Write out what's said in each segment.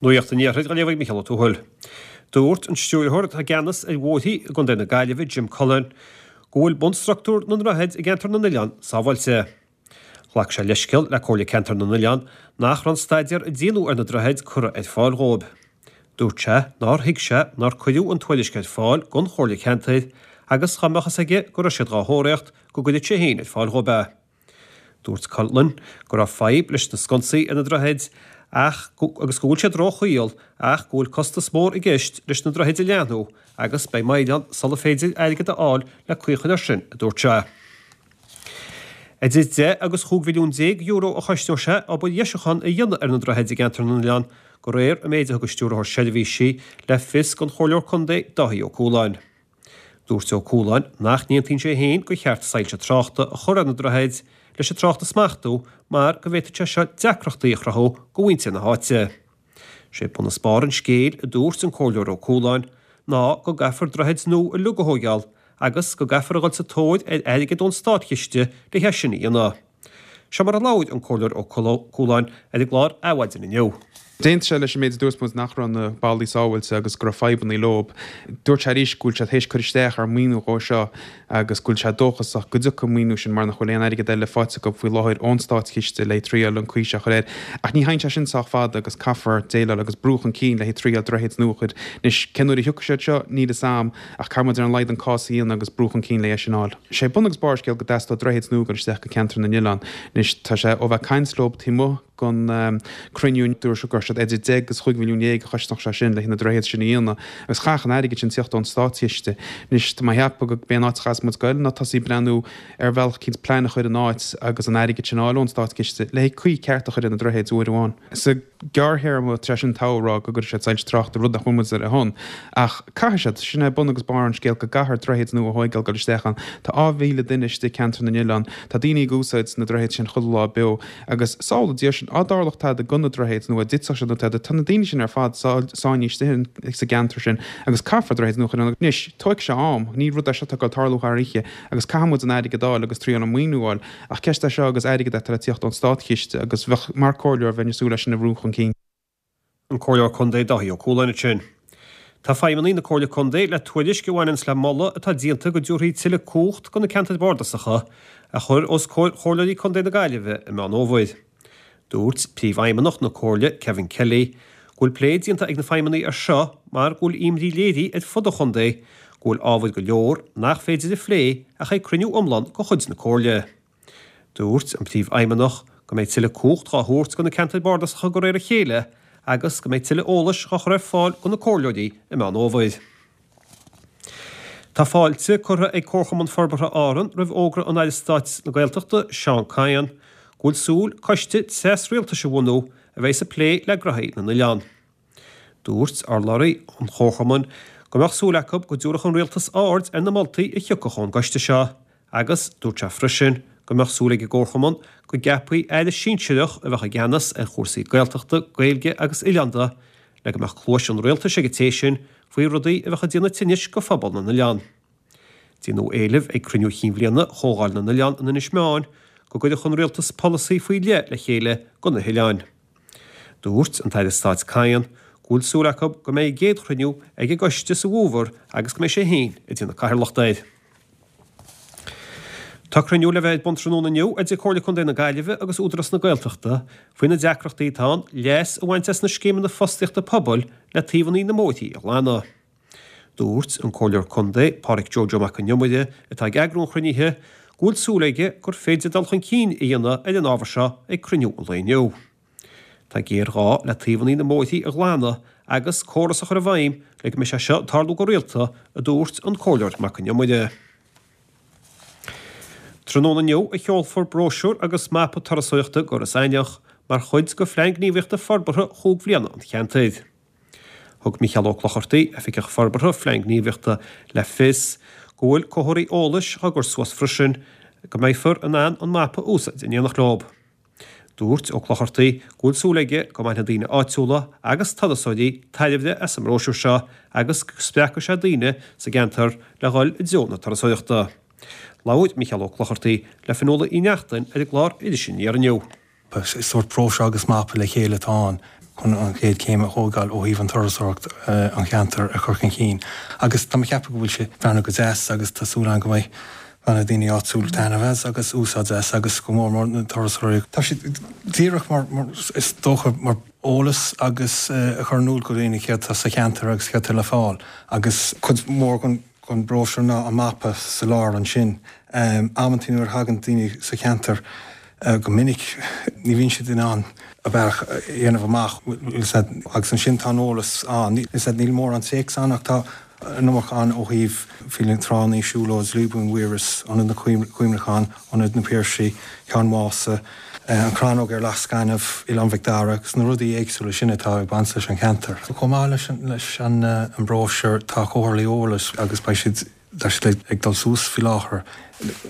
Nuacht an Iarthair á léamh ag Mícheál Ó Tuathail. Dúirt an Stiúrthóir atá i gceannas ar bhóithrí i gContae na Gaillimhe, Jim Cullen, go bhfuil bunstruchtúr na ndroichead i gCeantar na nOileán sábháilte. Ghlac sé leithscéal le Comhairle Ceantar na nOileán nach raibh an staidéar a déanadh ar na droichid curtha ar fáil dhóibh. Dúirt sé nár thuig sé nár cuireadh an tuairisc ar fáil don Chomhairle Ceantair agus dá mbeadh fhios aige go raibh siad dhá thóraíocht go gcuirfeadh sé féin ar fáil dhóibh é. Dúirt Cullen go raibh fadhb leis na sconsaí ar na droichid ach agus go bhfuil siad róchaol ach go bhfuil costas mór i gceist leis na droichid a leathnú agus beidh moill ann sula féidir airgead a fháil le caoi a chur air sin, a dúirt sé. Idir 10 agus 15 mhilliún euro a chosnódh sé obair dheisiúcháin a dhéanamh ar na droichid i gCeantar na nOileán, de réir an méid a thug an Stiúrthóir Seirbhísí le fios don Chomhairleoir Contae Dáithí Ó Cualáin. Dúirt Ó Cualáin nach n-aontaíonn sé féin gur cheart soilse tráchta a chur ar na droichid leis an trácht a smachtú mar go bhféadfadh sé seo deacrachtaí a chruthú do mhuintir na háite. Sé bun is barr an scéil, a dúirt an Comhairleoir Ó Cualáin, ná go gcaithfear droichid nua uilig a thóigeáil agus go gcaithfear a dhul sa tóir ar airgead ón státchiste le hé sin a dhéanamh. Seo mar a labhair an Comhairleoir Ó Cualáin ar an gclár Adhmhaidin inniu. D'aontaigh sé leis an méid a dúirt muid nach raibh na ballaí sábháilte agus go raibh fadhbanna leob. Dúirt sé arís go bhfuil siad théis cur isteach ar maoiniú dhó seo agus go bhfuil sé dóchasach go dtiocfaidh an maoiniú sin mar nach bhfuil aon airgead eile faighte acu faoi láthair ón státchiste le triail an caoi seo a chur air. Ach ní thagann sé sin sách fada agus caithfear déileáil agus brú chun cinn le triail droichid nua a chur. Anois cén uair a thiocfaidh siad seo, níl fhios a'm. Ach caithfidh muid ar a laghad an cás a dhéanamh agus brú chun cinn le é sin a fháil. Sé bun agus barr an scéil go dteastódh droichid nua ag dul isteach go Ceantar na nOileán. Anois tá sé ó bheith ag caint leob taobh amuigh gon cruinniú dúirt siad go raibh siad idir 10 agus 15 mhilliún a chosnódh sé sin le na droichid sin a dhéanamh agus chaithfeadh an airgead sin tíocht ón státchiste. Anois tá mé a cheapadh go b'é an áit a chaithfeas muid goil ná tosaí breathnú ar bhealach eicínt plean a chur in áit agus an airgead sin a fháil ón státchiste le caoi ceart a chur ar na droichid uair amháin. Sa. gearrthéarma, tá sé sin togha a rá go gcuirfidh siad soilse tráchta, rud nach bhfuil muid ar a shon. Ach caithfidh siad. Sin é bun agus barr an scéil, go gcaithfear droichid nua a thóigeáil dul isteach ann. Tá 2,000 duine istigh i Ceantar na nOileán. Tá daoine ag úsáid na droichid sin chuile lá beo. Agus sábhála Dia sinn, á dtarlódh tada go na droichid nó á dtitfeadh siad nó tada, tá na daoine sin ar fad sáinnithe istigh sa gceantar sin agus caithfear droichid nua a chur ann. Anois, tógfaidh sé am. Ní rud é seo atá ag dul tarlú thar oíche agus caithfidh muid an airgead a fháil agus triail an maoiniú a fháil. Ach ceist é seo agus airgead atá le tíocht ón státchiste agus bheadh, mar comhairleoir, bheinn ag súil leis sin a bhrú chun cinn. An Comhairleoir Contae Dáithí Ó Cualáin ansin. Tá feidhmeannaigh na Comhairle Contae le tuairisc a bhaineanns le moladh atá déanta go dtabharfaí tuilleadh cumhacht do na ceantair bhardasacha a chur os comhair Chomhairleoirí Contae na Gaillimhe i Meán Fhómhair. Dúirt Príomhfheidhmeannach na Comhairle, Kevin Kelly, go bhfuil plé déanta ag na feidhmeannaigh air seo mar go bhfuil imní léirithe ar fud an chontae go bhfuil ábhair go leor nach féidir a phlé ach ag cruinniú iomlán de chuid na Comhairle. Dúirt an Príomhfheidhmeannach go mbeidh tuilleadh cumhacht dhá thabhairt do na ceantair bardasacha de réir a chéile agus go mbeidh tuilleadh eolais dhá chur ar fáil do na comhairleoirí i Meán Fhómhair. Tá fáilte curtha ag Comharchumann Forbartha Árann roimh fhógra an Aire Stáit na Gaeltachta, Seán Kyne, go bhfuil súil coiste tras-rialtais a bhunú a bheidh ag plé le gnóthaí na n-oileán. Dúirt urlabhraí an Chomharchumainn go mbeadh súil acu go dtabharfadh an Rialtas aird ar na moltaí a thiocfadh ón gcoiste seo agus dúirt sé freisin go mbeadh súil ag an gComharchumann go gceapfaí aire sinsearach a bheadh i gceannas ar chúrsaí Gaeltachta, Gaeilge agus oileánda le go mbeadh cluais an rialtais ag an té sin faoi rudaí a bheadh ag déanamh tinnis go phobal na n-oileán. Déanadh éileamh ag cruinniú chinn bhliana Chomhdháil na nOileán in Inis Meáin go gcuirfeadh an rialtas polasaí faoi leith le chéile go na hoileáin. Dúirt an tAire Stáit Kyne go bhfuil súil acu go mbeidh an gcéad chruinniú ag an gcoiste sa bhfómhar agus go mbeidh sé féin ag déanamh cathaoirleachta air. Tá cruinniú le bheith ar bun tráthnóna inniu idir Comhairle Contae na Gaillimhe agus Údarás na Gaeltachta faoi na deacrachtaí atá ann leas a bhaint as na scéimeanna fostaíochta pobail le taobhanna na mbóithrí a ghlanadh. Dúirt an Comhairleoir Contae, Pádraic Joe Joe Mac an Iomaire, atá ag eagrú an chruinnithe, go bhfuil súil aige gur féidir dul chun cinn a dhéanamh ar an ábhar seo ag cruinniú an lae inniu. Tá géarghá le taobhanna na mbóithrí a ghlanadh agus córas a chur i bhfeidhm le go mbeidh sé seo ag tarlú go rialta, a dúirt an Comhairleoir Mac an Iomaire. Tráthnóna inniu a sheolfar bróisiúr agus mapa turasóireachta go Iorras Aithneach mar chuid de Phlean Gníomhaíochta Forbartha chúig bhliana an cheantair. Thug Mícheál Ó Clochartaigh, Oifigeach Forbartha Phlean Gníomhaíochta le fios go bhfuil comharthaí eolais á gcur suas freisin go mbeifear in ann an mapa a úsáid in éineacht leo. Dúirt Ó Clochartaigh go bhfuil súil aige go mbainfidh daoine áitiúla agus turasóirí tairbhe as an mbróisiúr seo agus go spreagfaidh sé daoine sa gceantar le dhul i dtreo na turasóireachta. Labhair Mícheál Ó Clochartaigh le Fionnuala Uí Neachtain ar an gclár Iris Aniar inniu. Is sórt bróisiúr agus mapa le chéile atá ann. chun an chéad chéim a thógáil ó thaobh an turasóireacht an cheantair a chur chun cinn agus tá mé ag ceapadh go bhfuil sé breathnú go deas agus tá súil agam go mbeidh na daoine áitiúil taitneamh as agus úsáid as agus go mór mór na turasóirí. Tá sé díreach mar is dócha mar eolas agus a chur in iúl go dhaoine céard atá sa cheantar agus céard atá le fáil agus cuid mhór den den bhróisiúr ná an mapa sa lár ansin. Amantaí nuair a thagann daoine sa cheantar go minic ní bhíonn siad in ann a bealach a dhéanamh amach agus ansin tá an eolas ann. Níl mórán téacs ann ach tá an iomarca ann ó thaobh faoi na tránna, siúlóid, Lúibín Mhuiris, Ionad na Cuimhneachán, Ionad na Piarsaigh, Ceann Mhása, an Chrannóg ar Leac Gainimh, Oileán Mhic Dara agus na rudaí éagsúla sin atá ag baint leis an cheantar. Chomh maith leis an mbróisiúr tá comharthaí eolais agus beidh siad, tá siad ag dul suas faoi láthair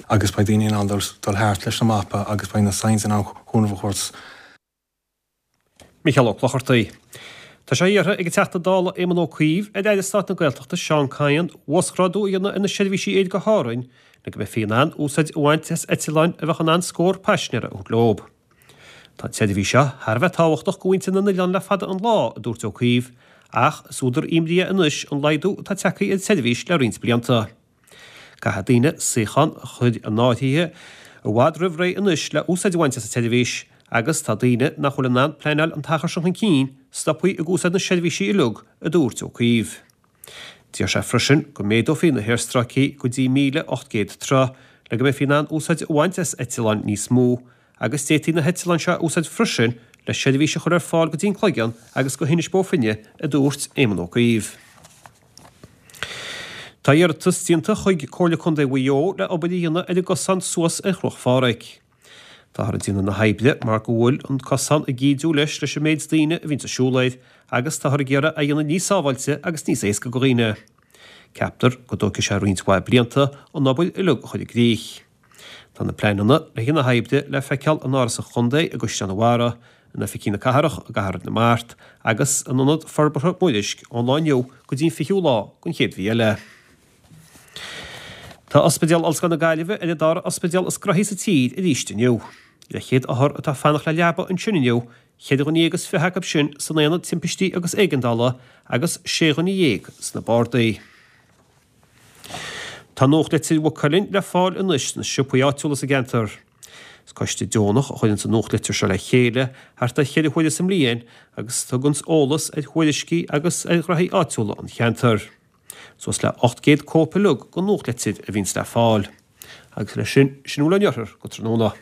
agus beidh daoine in ann dul thart leis an mapa agus beidh na signs in ann cúnamh a thabhairt. Micheál Ó Clochartaigh. Tá sé iarrtha ag an Teachta Dála Éamon Ó Cuív ar Aire Stáit na Gaeltachta Seán Kyne uasghrádú a dhéanamh ar na seirbhísí aeir go hÁrainn le go mbeifí in ann úsáid a bhaint as eitleáin a bheadh in ann scór paisinéara a thabhairt leo. Tá an tseirbhís seo thar a bheith tábhachtach go mhuintir na n-oileán le fada an lá, a dúirt Ó Cuív, ach is údar imní é anois an laghdú atá tagtha ar an tseirbhís le roinnt blianta. Caithfidh daoine suíochán a chur in áirithe i bhfad roimh ré anois le úsáid a bhaint as an tseirbhís agus tá daoine nach bhfuil in ann pleanáil an t-achar sin chun cinn stoptha ag úsáid na seirbhísí uilig, a dúirt Ó Cuív. D'iarr sé freisin go méadófaí na haerstráicí go dtí 1,800 troigh le go mbeifí in ann úsáid a bhaint as eitleáin níos mó agus d'fhéadfaí na heitleáin seo a úsáid freisin le seirbhís a chur ar fáil go dtí an Cloigeann agus go hInis Bó Finne, a dúirt Éamon Ó Cuív. Tá iarratas déanta chuig Comhairle Contae Mhaigh Eo le obair a dhéanamh ar an gcosán suas ar Chruach Phádraig. Táthar ag déanamh na hoibre mar go bhfuil an cosán ag ídiú leis leis an méid daoine a bhíonns ag siúl air agus táthar ag iarraidh é a dhéanamh níos sábháilte agus níos éasca do dhaoine. Ceaptar go dtógfaidh sé roinnt mhaith blianta an obair uilig a chur i gcrích. Tá na pleananna le haghaidh na hoibre le feiceáil in Áras an Chontae i gCaisleán an Bharraigh, in Oifigí na Cathrach i gCathair na Mart agus in Ionad Forbartha Mhuirisc ón lá inniu go dtí an 20ú lá den chéad mhí eile. Tá Ospidéal Ollscoil na Gaillimhe ar an dara ospidéal is gnoithí sa tír arís inniu. Leathchéad othar atá ag fanacht le leaba ansin inniu, cheithre dhuine dhéag is 20 acu sin san aonad timpistí agus éigeandála agus sé dhuine dhéag sna bardaí. Tá nuachtlitir Mhaigh Cuilinn le fáil anois sna siopaí áitiúla sa gceantar. Is coiste deonach a chuireanns an nuachtlitir seo le chéile thart ar cheithre huaire sa mbliain agus tuganns eolas ar thuairiscí agus ar ghraithí áitiúla an cheantair. Suas le 800 cóip uilig den nuachtlitir a bhíonns le fáil. Agus leis sin, sin a bhfuil ón Iarthar go tráthnóna.